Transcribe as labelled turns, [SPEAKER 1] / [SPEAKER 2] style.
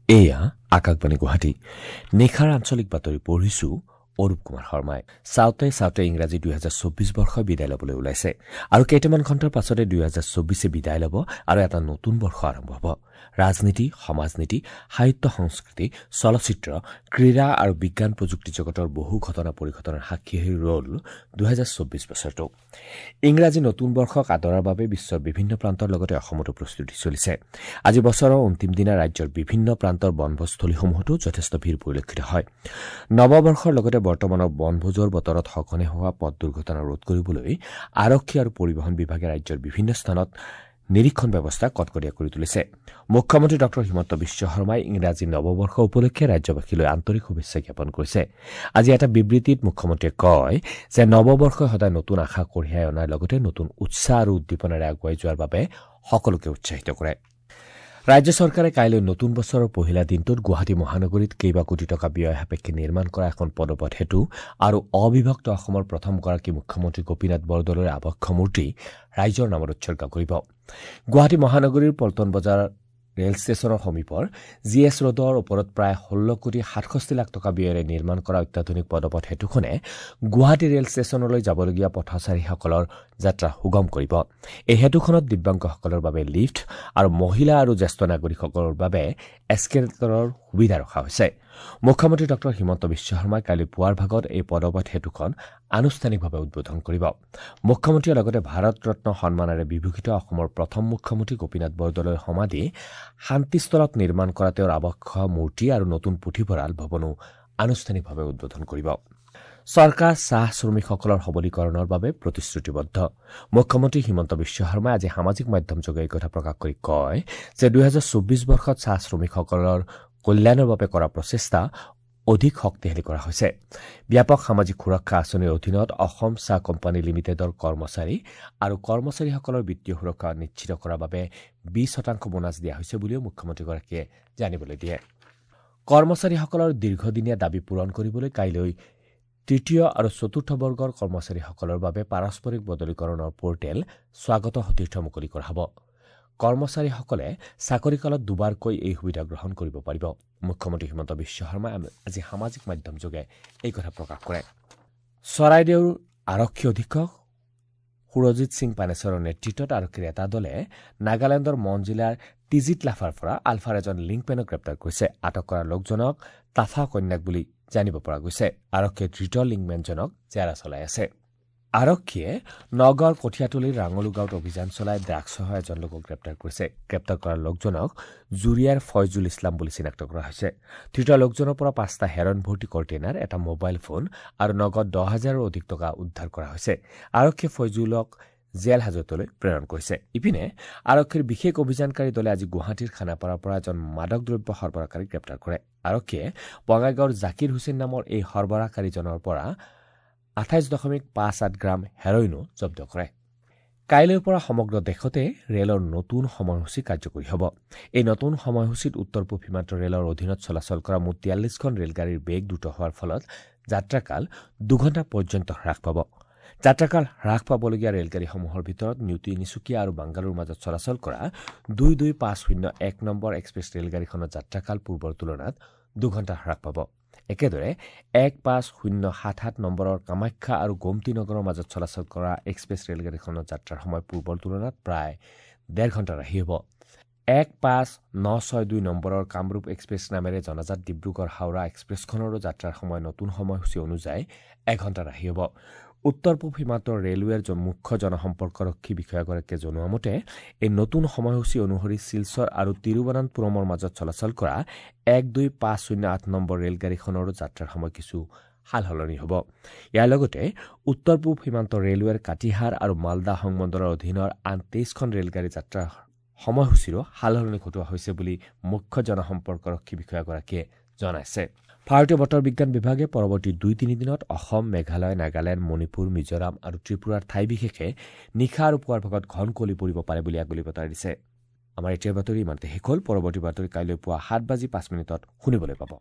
[SPEAKER 1] এয়া আকাশবাণী গুৱাহাটী। নিশাৰ আঞ্চলিক বাতৰি পঢ়িছো অৰূপ কুমাৰ শৰ্মাই। চাওঁতে চাওঁতে ইংৰাজী 2024 বৰ্ষ বিদায় ল'বলৈ ওলাইছে আৰু কেইটামান ঘণ্টাৰ পাছতে 2024 বিদায় ল'ব আৰু এটা নতুন বৰ্ষ আৰম্ভ হ'ব। ৰাজনীতি, সমাজনীতি, সাহিত্য, সংস্কৃতি, চলচ্চিত্ৰ, ক্ৰীড়া আৰু বিজ্ঞান প্ৰযুক্তি জগতৰ বহু ঘটনা পৰিঘটনাৰ সাক্ষী হৈ ৰ'ল 2024 বছৰটো। ইংৰাজী নতুন বৰ্ষক আদৰাৰ বাবে বিশ্বৰ বিভিন্ন প্ৰান্তৰ লগতে অসমতো প্ৰস্তুতি চলিছে। আজি বছৰৰ অন্তিম দিনা ৰাজ্যৰ বিভিন্ন প্ৰান্তৰ বনভোজস্থলীসমূহতো যথেষ্ট ভিৰ পৰিলক্ষিত হয়। নৱবৰ্ষৰ লগতে বৰ্তমানৰ বনভোজৰ বতৰত সঘনে হোৱা পথ দুৰ্ঘটনা ৰোধ কৰিবলৈ আৰক্ষী আৰু পৰিবহণ বিভাগে ৰাজ্যৰ বিভিন্ন স্থানত নিৰীক্ষণ ব্যৱস্থা কটকটীয়া কৰি তুলিছে। মুখ্যমন্ত্ৰী ডঃ হিমন্ত বিশ্ব শৰ্মাই ইংৰাজী নৱবৰ্ষ উপলক্ষে ৰাজ্যবাসীলৈ আন্তৰিক শুভেচ্ছা জ্ঞাপন কৰিছে। আজি এটা বিবৃতিত মুখ্যমন্ত্ৰীয়ে কয় যে নৱবৰ্ষই সদায় নতুন আশা কঢ়িয়াই অনাৰ লগতে নতুন উৎসাহ আৰু উদ্দীপনাৰে আগুৱাই যোৱাৰ বাবে সকলোকে উৎসাহিত কৰে। ৰাজ্য চৰকাৰে কাইলৈ নতুন বছৰৰ পহিলা দিনটোত গুৱাহাটী মহানগৰীত কেইবা কোটি টকা ব্যয় সাপেক্ষে নিৰ্মাণ কৰা এখন পদপথ সেতু আৰু অবিভক্ত অসমৰ প্ৰথমগৰাকী মুখ্যমন্ত্ৰী গোপীনাথ বৰদলৈৰ আৱক্ষ মূৰ্তি ৰাইজৰ নামত উৎসৰ্গা কৰিব। গুৱাহাটী মহানগৰীৰ পল্টন বজাৰ ৰেল ষ্টেচনৰ সমীপৰ জি এছ ৰোডৰ ওপৰত প্ৰায় 16 কোটি 67 লাখ টকা ব্যয়েৰে নিৰ্মাণ কৰা অত্যাধুনিক পদপথ সেতুখনে গুৱাহাটী ৰেল ষ্টেচনলৈ যাবলগীয়া পথচাৰীসকলৰ যাত্ৰা সুগম কৰিব। এই সেতুখনত দিব্যাংগসকলৰ বাবে লিফ্ট আৰু মহিলা আৰু জ্যেষ্ঠ নাগৰিকসকলৰ বাবে এস্কেলেটৰৰ সুবিধা ৰখা হৈছে। মুখ্যমন্ত্ৰী ডঃ হিমন্ত বিশ্ব শৰ্মাই কাইলৈ পুৱাৰ ভাগত এই পদপথ সেতুখন আনুষ্ঠানিকভাৱে উদ্বোধন কৰিব। মুখ্যমন্ত্ৰীয়ে লগতে ভাৰত ৰত্ন সন্মানেৰে বিভূষিত অসমৰ প্ৰথম মুখ্যমন্ত্ৰী গোপীনাথ বৰদলৈৰ সমাধি শান্তিস্থলত নিৰ্মাণ কৰা তেওঁৰ আৱক্ষ মূৰ্তি আৰু নতুন পুথিভঁৰাল ভৱনো আনুষ্ঠানিকভাৱে উদ্বোধন কৰিব। চৰকাৰ চাহ শ্ৰমিকসকলৰ সবলীকৰণৰ বাবে প্ৰতিশ্ৰুতিবদ্ধ। মুখ্যমন্ত্ৰী হিমন্ত বিশ্ব শৰ্মাই আজি সামাজিক মাধ্যমযোগে এই কথা প্ৰকাশ কৰি কয় যে 2024 বৰ্ষত চাহ শ্ৰমিকসকলৰ কল্যাণৰ বাবে কৰা প্ৰচেষ্টা অধিক শক্তিশালী কৰা হৈছে। ব্যাপক সামাজিক সুৰক্ষা আঁচনিৰ অধীনত অসম চাহ কোম্পানী লিমিটেডৰ কৰ্মচাৰী আৰু কৰ্মচাৰীসকলৰ বিত্তীয় সুৰক্ষা নিশ্চিত কৰাৰ বাবে 20% বোনাছ দিয়া হৈছে বুলিও মুখ্যমন্ত্ৰীগৰাকীয়ে জানিবলৈ দিয়ে। কৰ্মচাৰীসকলৰ দীৰ্ঘদিনীয়া দাবী পূৰণ কৰিবলৈ কাইলৈ তৃতীয় আৰু চতুৰ্থ বৰ্গৰ কৰ্মচাৰীসকলৰ বাবে পাৰস্পৰিক বদলীকৰণৰ পৰ্টেল স্বাগত সতীৰ্থ মুকলি কৰা হ'ব। কৰ্মচাৰীসকলে চাকৰিকালত দুবাৰকৈ এই সুবিধা গ্ৰহণ কৰিব পাৰিব। মুখ্যমন্ত্ৰী হিমন্ত বিশ্ব শৰ্মাই আজি সামাজিক মাধ্যমযোগে এই কথা প্ৰকাশ কৰে। চৰাইদেউৰ আৰক্ষী অধীক্ষক সুৰজিৎ সিং পানেশ্বৰৰ নেতৃত্বত আৰক্ষীৰ এটা দলে নাগালেণ্ডৰ মন জিলাৰ টিজিত লাফাৰ পৰা আলফাৰ এজন লিংকমেনক গ্ৰেপ্তাৰ কৰিছে। আটক কৰা লোকজনক তাফা কন্যাক বুলি জানিব পৰা গৈছে। আৰক্ষীয়ে ধৃত লিংকমেনজনক জেৰা চলাই আছে। আৰক্ষীয়ে নগাঁৱৰ কঠীয়াতলিৰ ৰাঙলু গাঁৱত অভিযান চলাই ড্ৰাগছসহ এজন লোকক গ্ৰেপ্তাৰ কৰিছে। গ্ৰেপ্তাৰ কৰা লোকজনক জুৰিয়াৰ ফয়জুল ইছলাম বুলি চিনাক্ত কৰা হৈছে। ধৃত লোকজনৰ পৰা 5টা হেৰণ ভৰ্তি কণ্টেইনাৰ, এটা মোবাইল ফোন আৰু নগদ 10,000ৰো অধিক টকা উদ্ধাৰ কৰা হৈছে। আৰক্ষীয়ে ফয়জুলক জেল হাজতলৈ প্ৰেৰণ কৰিছে। ইপিনে আৰক্ষীৰ বিশেষ অভিযানকাৰী দলে আজি গুৱাহাটীৰ খানাপাৰাৰ পৰা এজন মাদক দ্ৰব্য সৰবৰাহকাৰীক গ্ৰেপ্তাৰ কৰে। আৰক্ষীয়ে বঙাইগাঁৱৰ জাকিৰ হুছেইন নামৰ এই সৰবৰাহকাৰীজনৰ পৰা 28.58 গ্ৰাম হেৰইনো জব্দ কৰে। কাইলৈৰ পৰা সমগ্ৰ দেশতে ৰেলৰ নতুন সময়সূচী কাৰ্যকৰী হ'ব। এই নতুন সময়সূচীত উত্তৰ পূব সীমান্ত ৰেলৰ অধীনত চলাচল কৰা মুঠ 43খন ৰেলগাড়ীৰ বেগ দ্ৰুত হোৱাৰ ফলত যাত্ৰাকাল 2 ঘণ্টা পৰ্যন্ত হ্ৰাস পাব। যাত্ৰাকাল হ্ৰাস পাবলগীয়া ৰেলগাড়ীসমূহৰ ভিতৰত নিউ তিনিচুকীয়া আৰু বাংগালুৰুৰ মাজত চলাচল কৰা 22501 নম্বৰ এক্সপ্ৰেছ ৰেলগাড়ীখনৰ যাত্ৰাকাল পূৰ্বৰ তুলনাত 2 ঘণ্টা হ্ৰাস পাব। একেদৰে 15077 নম্বৰৰ কামাখ্যা আৰু গোমতী নগৰৰ মাজত চলাচল কৰা এক্সপ্ৰেছ ৰেলগাড়ীখনৰ যাত্ৰাৰ সময় পূৰ্বৰ তুলনাত প্ৰায় 1.5 ঘণ্টা ৰাহি হ'ব। 15962 নম্বৰৰ কামৰূপ এক্সপ্ৰেছ নামেৰে জনাজাত ডিব্ৰুগড় হাওৰা এক্সপ্ৰেছখনৰো যাত্ৰাৰ সময় নতুন সময়সূচী অনুযায়ী 1 ঘণ্টা ৰাহি হ'ব। উত্তৰ পূব সীমান্ত ৰেলৱেৰ মুখ্য জনসম্পৰ্কৰক্ষী বিষয়াগৰাকীয়ে জনোৱা মতে এই নতুন সময়সূচী অনুসৰি শিলচৰ আৰু তিৰুৱনন্তপুৰমৰ মাজত চলাচল কৰা 12508 নম্বৰ ৰেলগাড়ীখনৰো যাত্ৰাৰ সময় কিছু সালসলনি হ'ব। ইয়াৰ লগতে উত্তৰ পূব সীমান্ত ৰেলৱেৰ কাটিহাৰ আৰু মালদা সংমণ্ডলৰ অধীনৰ আন 23খন ৰেলগাড়ী যাত্ৰাৰ সময়সূচীৰো সালসলনি ঘটোৱা হৈছে বুলি মুখ্য জনসম্পৰ্কৰক্ষী বিষয়াগৰাকীয়ে জনাইছে। ভাৰতীয় বতৰ বিজ্ঞান বিভাগে পৰৱৰ্তী 2-3 দিনত অসম, মেঘালয়, নাগালেণ্ড, মণিপুৰ, মিজোৰাম আৰু ত্ৰিপুৰাৰ ঠাই বিশেষে নিশা আৰু পুৱাৰ ভাগত ঘন কুঁৱলী পৰিব পাৰে বুলি আগলি বতৰা দিছে। আমাৰ এতিয়াৰ বাতৰি ইমানতে শেষ হ'ল। পৰৱৰ্তী বাতৰি কাইলৈ পুৱা 7:05 শুনিবলৈ পাব।